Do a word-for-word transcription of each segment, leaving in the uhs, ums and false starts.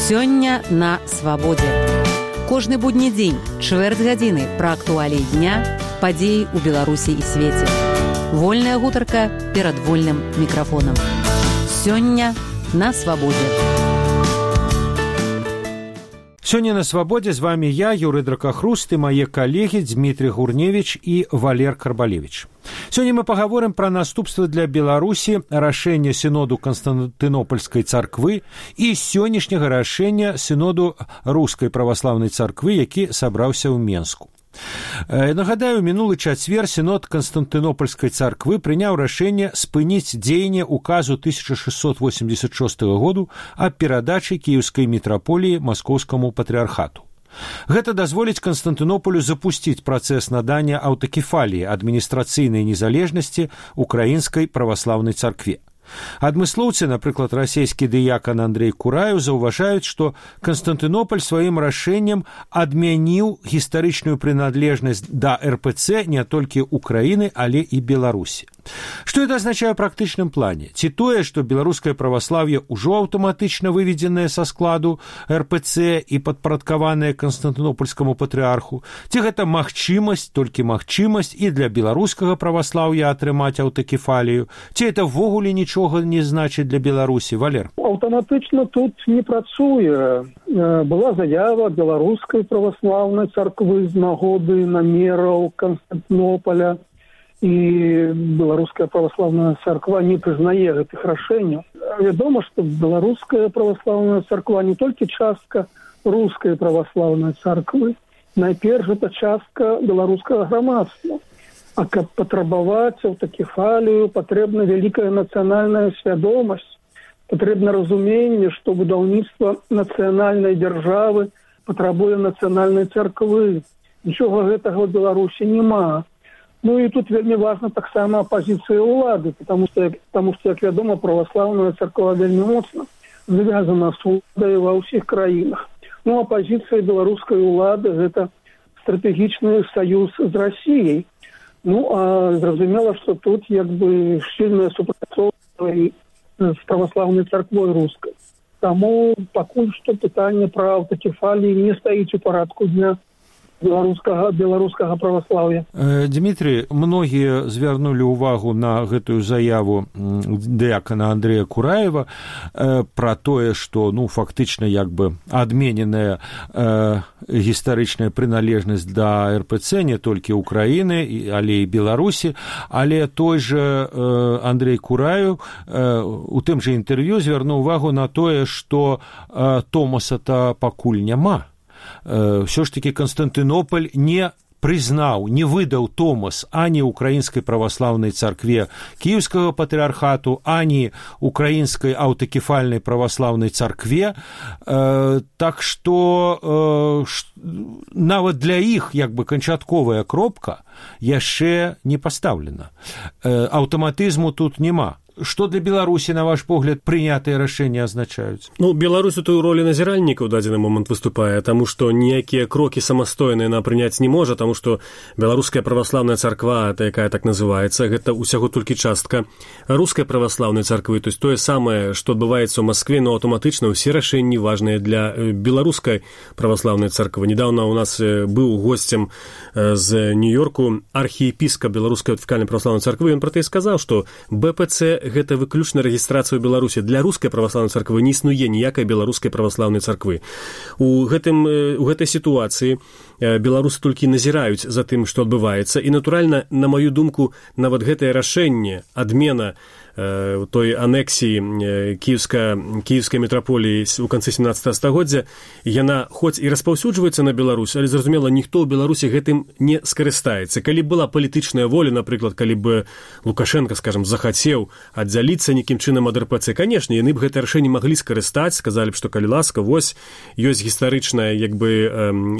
Сёння на свабодзе. Кожны будні дзень, чвэрць гадзіны пра актуаліі дня, падзеі ў Беларусі і свеце. Вольная гутарка перад вольным мікрафонам. Сёння на свабодзе. Сёння на свабодзе з вами я, Юрый Дракахруст, і мае калегі Дмітрий Гурневич і Валер Карбалевич. Сёння мы пагаворым пра наступствы для Беларусі рашэння сіноду Канстантынопольскай царквы і сённяшняга рашэння сіноду Рускай праваслаўнай царквы, які сабраўся ў Менску. Нагадаю, мінулы чацвер сінод Канстантынопольскай царквы прыняў рашэнне спыніць дзеянне указу тысяча шестьсот восемьдесят шестого году аб перадачы кіеўскай мітраполіі маскоўскаму патрыархату. Гэта дазволіць Канстантынополю запусціць працэс надання аўтакефаліі адміністрацыйнай незалежнасці украінскай праваслаўнай царкве. Адмыслоўцы, напрыклад, расійскі дыякан Андрей Кураев, заўважаюць, што Канстантынополь сваім рашэннем адмяніў гістарычную прыналежнасць да эр пэ цэ не толькі Украіны, але і Беларусі. Што это азначае ў практычным плане? Ці тое, што беларускае праваслаўе ўжо аўтаматычна выведзенае са складу эр пэ цэ і падпарадкаванае Канстантынопольскаму патрыарху? Ці гэта магчымасць, толькі магчымасць і для беларускага праваслаўя атрымаць аўтакефалію? Ці это ввогуле нічога не значыць для Беларусі? Валер? Аўтаматычна тут не працуе. Была заява беларускай праваслаўнай царквы з нагоды намераў Канстантынополя, і беларуская праваслаўная царква не прызнае гэтых рашэнняў. Вядома, што беларуская праваслаўная царква не толькі частка рускай праваслаўнай царквы, найперш гэта частка беларускага грамадства. А каб патрабаваць аўтакефалію, патрэбна вялікая нацыянальная свядомасць, патрэбна разуменне, што будаўніцтва нацыянальнай дзяржавы патрабуе нацыянальнай царквы. Нічога гэтага ў Беларусі няма. Ну і тут вельмі важна таксама пазіцыя ўлады, потому што, потому што, як вядома, праваслаўная царква вельмі моцна звязана з уладай ва ўсіх краінах. Ну а пазіцыя беларускай улады – гэта стратэгічны саюз з Расіяй. Ну а зразумела, што тут як бы шчыльнае супрацоўніцтва з праваслаўнай царквой рускай. Таму пакуль што пытанне пра аўтакефаліі не стаіць у парадку дня беларускага беларускага праваслаўя. Дмітрий, многія звярнулі ўвагу на гэтую заяву дыякана Андрея Кураева пра тое, што ну фактычна як бы адмененая э, гістарычная прыналежнасць да эр пэ цэ не толькі Украіны, але і Беларусі, але той же э, Андрей Кураев э, у тым жа інтэрв'ю звярнуў увагу на тое, што э, Томаса-то пакуль няма. Все ж таки Константинополь не признаў, не выдаў Томас ані украінскай праваслаўнай царкве кіеўскага патрыархату, ані украінскай аўтакефальнай праваслаўнай царкве. Э, так што э, нават для іх як бы канчатковая кропка яшчэ не пастаўлена. Э, аўтаматызму тут няма. Што для Беларусі, на ваш погляд, прынятыя рашэнні азначаюць? Ну, Беларусь у той ролі назіральніка ў дадзены момант выступае, таму што ніякія крокі самастойныя яна прыняць не можа, таму што беларуская праваслаўная царква, якая так называецца, гэта ўсяго толькі частка рускай праваслаўнай царквы, то есть тое самае, што адбываецца ў Маскве, но аўтаматычна ўсе рашэнні важныя для беларускай праваслаўнай царквы. Недаўна у нас быў госцем з Нью-Йорку архіепіскап беларускай аўтакефальнай праваслаўнай царквы, ён пра тое сказаў, што бэ пэ цэ гэта выключна рэгістрацыя ў Беларусі. Для рускай праваслаўнай царквы не існуе ніякай беларускай праваслаўнай царквы. У, гэтым, у гэтай сітуацыі беларусы толькі назіраюць за тым, што адбываецца. І, натуральна, на маю думку, нават гэтае рашэнне, адмена той анексіі кіеўска, кіеўскай мітраполіі ў канцы сямнаццатага стагоддзя, яна хоць і распаўсюджваецца на Беларусь, але, зразумела, ніхто ў Беларусі гэтым не скарыстаецца. Калі была палітычная воля, напрыклад, калі б Лукашенко, скажем, захацеў аддзяліцца нейкім чынам ад эр пэ цэ, канешне, яны б гэта рашэнне маглі скарыстаць, сказалі б, што калі ласка, вось, ёсць гістарычная, як бы,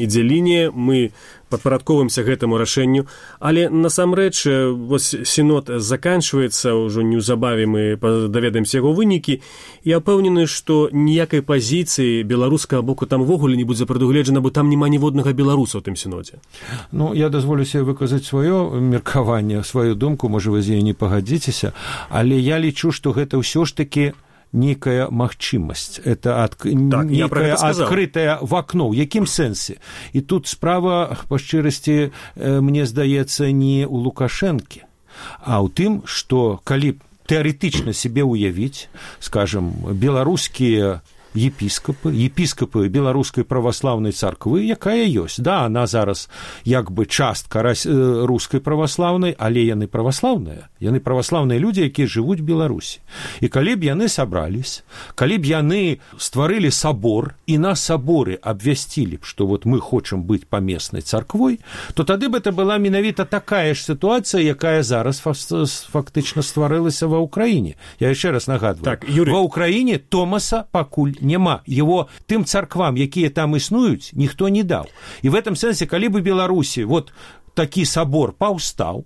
ідзе-лінія, мы падпарадковваемся гэтаму рашэнню, але насамрэч вось сінод заканчваецца, ўжо неўзабаве мы даведаемся яго вынікі, і я ўпэўнены, што ніякай пазіцыі беларускага боку там увогуле не будзе прадугледжана, бо там няма ніводнага беларуса ў тым сінодзе. Ну, я дазволю себе выказаць сваё меркаванне, сваю думку, можа вы з ёй не пагадзіцеся, але я лічу, што гэта ўсё ж такі нейкая магчымасць, это ад... так, нейкае адкрытае в акно. У якім сэнсе? І тут справа, па шчырасці, мне здаецца, не ў Лукашэнкі, а ў тым, што калі тэарэтычна себе уявіць, скажем, беларускія епіскапы, епіскапы беларускай праваслаўнай царквы, якая ёсць. Да, она зараз як бы частка рускай праваслаўнай, але яны праваслаўныя. Яны праваслаўныя людзі, якія жывуць в Беларусі. І калі б яны сабрались, калі б яны стварылі сабор і на саборы абвясцілі б, што вот мы хочам быць памеснай царквой, то тады б это была менавіта такая ж сітуацыя, якая зараз фактычна стварылася ва ўкраіне. Я яшчэ раз нагадваю. Так, Юрий... Ва ўкраіне Томаса пакуль няма. Его тым царквам, якія там існуюць, ніхто не даў. І в этом сэнсе, калі бы Беларусі вот такі сабор паўстаў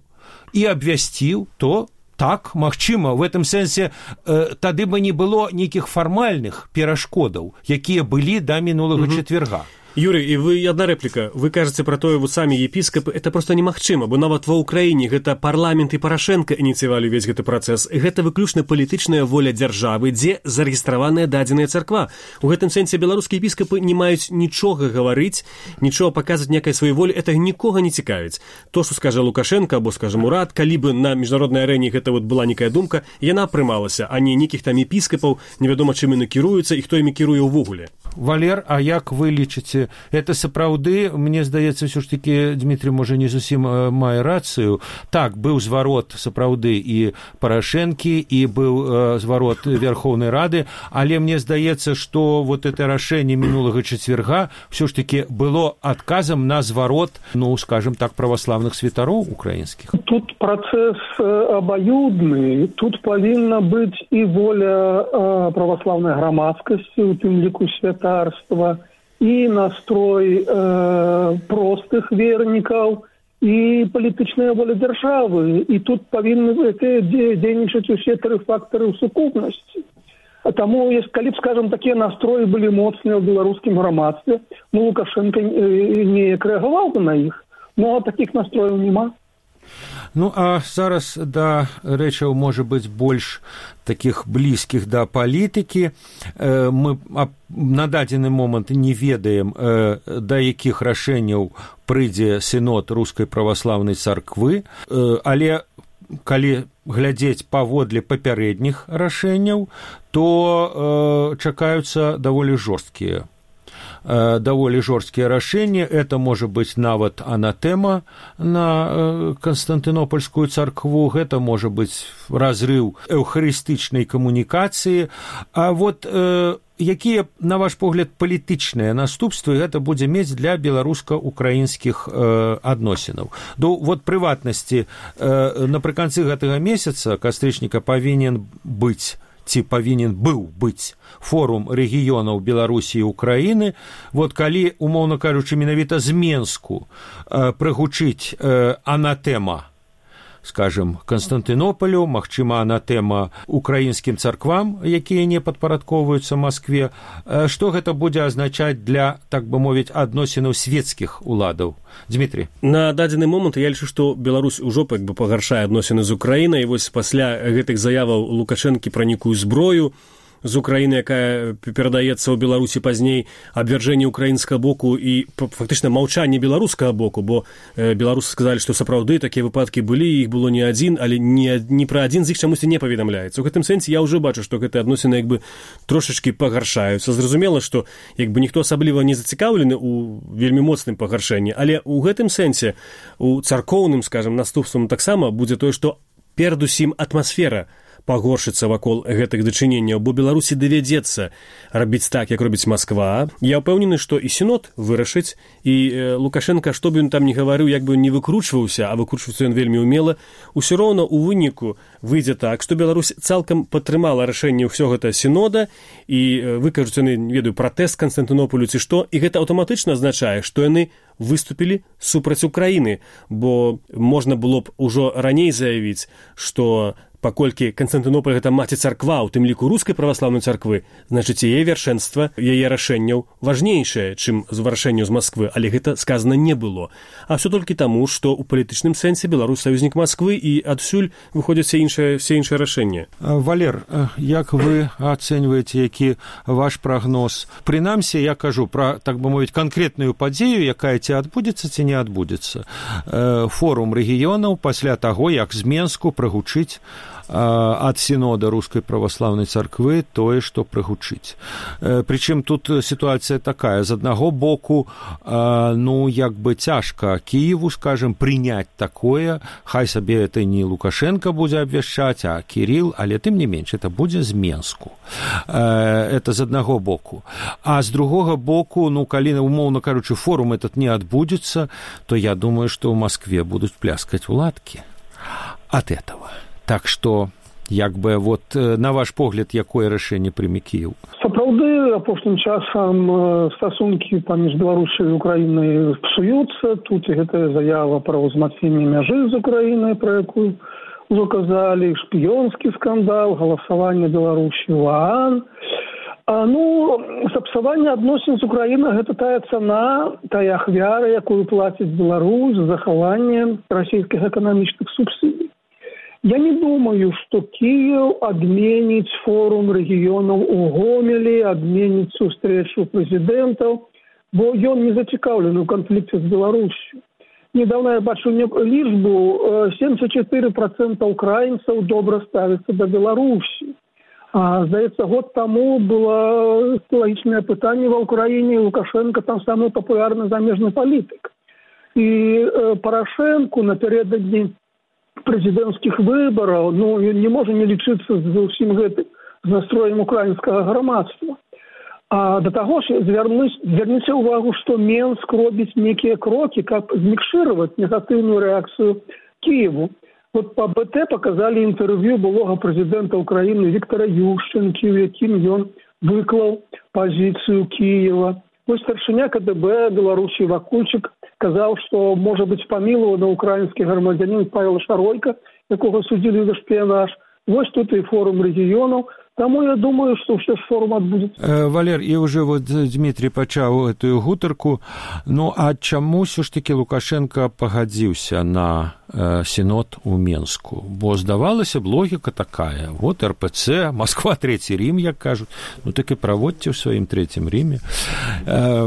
і абвясціў, то так, магчыма, в этом сэнсе э, тады бы не было нейкіх фармальных перашкодаў, якія былі да мінулага угу. чацвярга. Юрий, і вы, одна рэпліка, вы кажаце пра тое, вот самі епіскапы, это просто немагчыма, бо нават ва ўкраіне гэта парламент і Парашенко ініцыявалі ўвесь гэты працэс. Гэта выключна палітычная воля дзяржавы, дзе зарэгістраваная дадзеная царква. У гэтым сэнсе беларускія епіскапы не маюць нічога гаварыць, нічога паказваць некай сваёй волі, это нікога не цікавіць. То, што скажа Лукашенко, або, скажем, урад, калі бы на міжнароднай арэне гэта вот была некая думка, яна прымалася, а не нейкіх там епіскапаў, невядома чым яны кіруюцца і хто імі кіруе ўвогуле. Валер, а як вы лічыце, это сапраўды, мне здаецца, ўсё ж такі Дмітрий можа не зусім мае рацыю. Так, быў зварот сапраўды і Парашэнкі, і быў э, зварот Верховнай Рады, але мне здаецца, што вот это рашэнне мінулага чацвярга ўсё ж такі было адказам на зварот, ну, скажем так, праваслаўных святароў украінскіх. Тут працэс абаюдны, тут павінна быць і воля э, праваслаўнай грамадскасці, у тым ліку святарства, і настрой э, простых вернікаў, і палітычная воля дзяржавы. І тут павінны дзейнічаць усе тры фактары ў сукупнасці. А таму, калі б, скажем, такія настроі былі моцныя ў беларускім грамадстве, ну, Лукашенко неяк рэагаваў бы на іх. Ну, а такіх настрояў няма. Ну, а зараз да рэчаў, можа быць, больш такіх блізкіх да палітыкі. Мы на дадзены момант не ведаем, да якіх рашэнняў прыйдзе сінод рускай праваслаўнай царквы, але калі глядзець паводле папярэдніх рашэнняў, то чакаюцца даволі жорсткія даволі жорсткія рашэнні. Это можа быць нават анатэма на Канстантынопольскую царкву, гэта можа быць разрыў эўхарыстычнай камунікацыі. А вот э, якія, на ваш погляд, палітычныя наступствы гэта будзе мець для беларуска-украінскіх э, адносінаў? Ну, вот прыватнасці, э, напрыканцы гэтага месяца кастрычніка павінен быць ці павінен быў быць форум рэгіёнаў Беларусі і Украіны. Вот калі, умоўна кажучы, менавіта з Менску э, прыгучыць э, анатэма, скажем, Канстантынополю, магчыма, анатэма украінскім царквам, якія не падпарадковваюцца Маскве, э, што гэта будзе азначаць для, так бы мовіць, адносінаў свецкіх уладаў? Дмитрий. На дадзены момант я лічу, што Беларусь ужо як бы пагаршае адносіны з Украінай, і вось пасля гэтых заяваў Лукашэнкі пра нейкую зброю з Украіны, якая перадаецца ў Беларусі пазней, абвяржэнне украінскага боку і фактычна маўчанне беларускага боку, бо э, беларусы сказалі, што сапраўды такія выпадкі былі, іх было не адзін, але не, не пра адзін з іх чамусьці не паведамляецца. У гэтым сэнсе я ўжо бачу, што гэтыя адносіны як бы трошачкі пагаршаюцца. Зразумела, што як бы ніхто асабліва не зацікаўлены ў вельмі моцным пагаршэнні, але ў гэтым сэнсе у царкоўным, скажем, наступствам таксама будзе тое, што перадусім атмасфера пагоршыцца вакол гэтых дачыненняў, бо Беларусі давядзецца рабіць так, як робіць Масква. Я ўпэўнены, што і сінод вырашыць, і э, Лукашенко, што б ён там не гаварыў, як бы не выкручваўся, а выкручваецца ён вельмі ўмела, усё роўна ў выніку выйдзе так, што Беларусь цалкам падтрымала рашэнне ўсё гэта сінода, і э, выкажуць яны, не ведаю, пратэст Канстантынополю ці што, і гэта аўтаматычна азначае, што яны выступілі супраць Украіны, бо можна было б ужо раней заявіць, што паколькі Канстантынополь гэта маці царква, у тым ліку рускай праваслаўнай царквы, значыць яе вяршэнства, яе рашэнняў важнейшае, чым вырашэнне з Масквы, але гэта сказана не было. А все толькі таму, што ў палітычным сэнсе Беларусь саюзнік Масквы і адсюль выходзяць все іншыя, все іншыя рашэнні. Валер, як вы ацэньваеце, які ваш прагноз? Прынамсі, я кажу пра, так бы мовіць, канкрэтную падзею, якая ці адбудзецца, ці не адбудзецца. Форум рэгіёнаў пасля таго, як з Менску прагучыць ад сінода рускай праваслаўнай царквы тое, што прагучыць. Прычым тут сітуацыя такая. З аднаго боку, ну, як бы цяжка Кіеву, скажем, прыняць такое, хай сабе это не Лукашенко будзе абвяшчаць, а Кірил, але тым не менш, это будзе з Менску. Это з аднаго боку. А з другога боку, ну, калі, умоўна кажучы, форум этот не адбудзецца, то я думаю, што ў Маскве будуць пляскаць у ладкі ад этого. Так што, як бы, вот, на ваш погляд, якое рашэнне прыме Кіеў? Сапраўды, апошнім часам стасункі паміж Беларусяй і Украінай псуюцца. Тут і гэтая заява пра ўзмацненне мяжы з Украінай, пра якую ўжо казалі, шпіёнскі скандал, галасаванне Беларусі ў ААН. А, ну, сапсаванне адносін з Украінай – гэта тая цана, тая ахвяра, якую плаціць Беларусь за захаванне расійскіх эканамічных субсідый. Я не думаю, что Киев отменит форум регионов у Гомеле, отменит встречу президентов, бо он не зацікаўлены в конфликте с Беларусью. Недавно я бачу лічбу, семьдесят четыре процента украинцев добро ставятся до Беларуси. А, здаецца, год тому было логичное пытание в Украине, Лукашенко там самый популярный замежный политик. И э, Порошенко напередодні президентских выборов, ну, не можем не лічыцца з усім гэтым, з настроем украінскага грамадства. А до того ж, зверніце увагу, что Менск робіць некие кроки, как змікшировать негативную реакцию Киеву. Вот по БТ показали интервью былого президента Украины Виктора Ющенки, в якім ён выклаў позицию Киева. Вось старшыня КДБ Беларусі Вакульчык казаў, што можа быць памілаваны украінскі грамадзянін Павел Шаройка, якога судзілі за шпіянаж. Вось тут і форум рэгіёнаў. Таму я думаю, што ўсё ж форум адбудзецца. Валер, і ўжо вот Дмітрий пачаў гэтую гутарку. Ну, а чаму ўсё ж такі Лукашенко пагадзіўся на э, сінод у Менску? Бо здавалася б, логіка такая. Вот РПЦ, Москва, Третий Рим, як кажуць. Ну, так і праводьте ў сваім Третьем Риме. Э,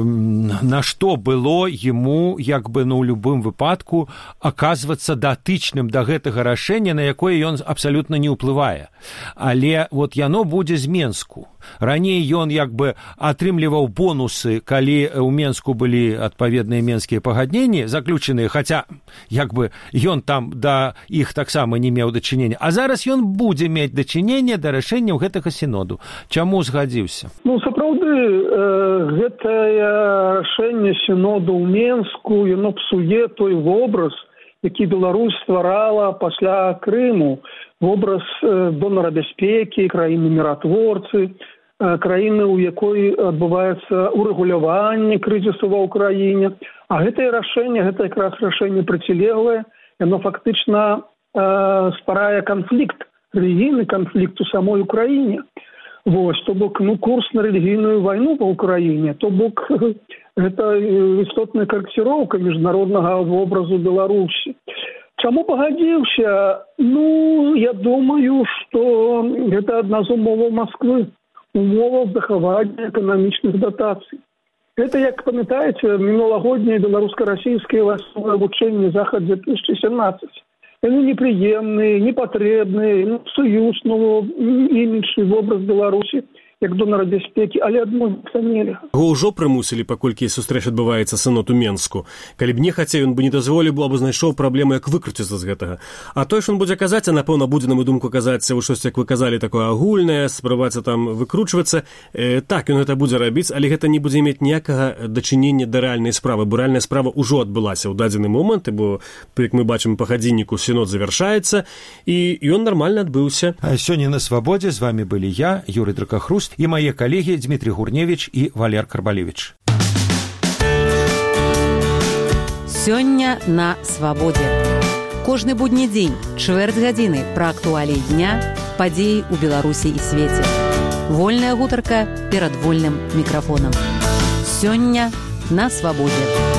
на што было ему, як бы, ну, у любым выпадку аказвацца датычным да гэтага рашэння, на якое ён абсалютна не ўплывае. Але вот яно будзе з Менску. Раней ён як бы атрымліваў бонусы, калі ў Менску былі адпаведныя менскія пагадненні заключаныя, хаця як бы ён там да іх таксама не меў дачынення. А зараз ён будзе мець дачыненне да рашэнняў гэтага сіноду. Чаму згадзіўся? Ну, сапраўды, э, гэтае рашэнне сіноду ў Менску, яно псуе той вобраз, які Беларусь стварала пасля Крыму. Вобраз э, донара бяспекі, краіны-міратворцы, э, краіны, у якой адбываецца урэгуляванне крызісу ва ўкраіне. А гэтае рашэнне, гэта якраз рашэнне процілеглае, яно фактычна э, стварае канфлікт, рэлігійны канфлікт у самой Украіне. Вось, то бок, ну, курс на рэлігійную вайну па Украіне, то бок, гэта істотная карэкціроўка міжнароднага вобразу Беларусі. Чаму пагадзіўся? Ну, я думаю, што гэта адна з умоваў Масквы, умоваў захавання эканамічных датацый. Гэта, як памятаеце, мінулагоднія беларуска-расійскія вайсковыя вучэнні Захад две тысячи семнадцать. Яны непрыемныя, непатрэбныя, ну, псуюць, ну, імідж і вобраз Беларусі як донара бяспекі, але адмовіцца нельга. Яго ўжо прымусілі, паколькі сустрэч адбываецца сынод у Менску. Калі б не хацеў, ён бы не дазволіў, або знайшоў праблему, як выкруціцца з гэтага. А тое, што ён будзе казаць, а напэўна будзе, на мою думку, казаць у штось, як вы казалі, такое агульнае, спрабавацца там выкручвацца. Э, так, ён гэта будзе рабіць, але гэта не будзе мець ніякага дачынення да рэальнай справы, бо рэальная справа ўжо адбылася ў дадзены момант, бо, як мы бачым па гадзінніку, сінод завяршаецца, і ён нармальна адбыўся. А сёння на Свабодзе з вами былі я, Юрый Дракахруст, і мае калегі Дмітрий Гурневич і Валер Карбалевич. Сёння на Свабодзе. Кожны будні дзень, чвэрць гадзіны пра актуаліі дня, падзеі ў Беларусі і свеце. Вольная гутарка перад вольным мікрафонам. Сёння на свабодзе.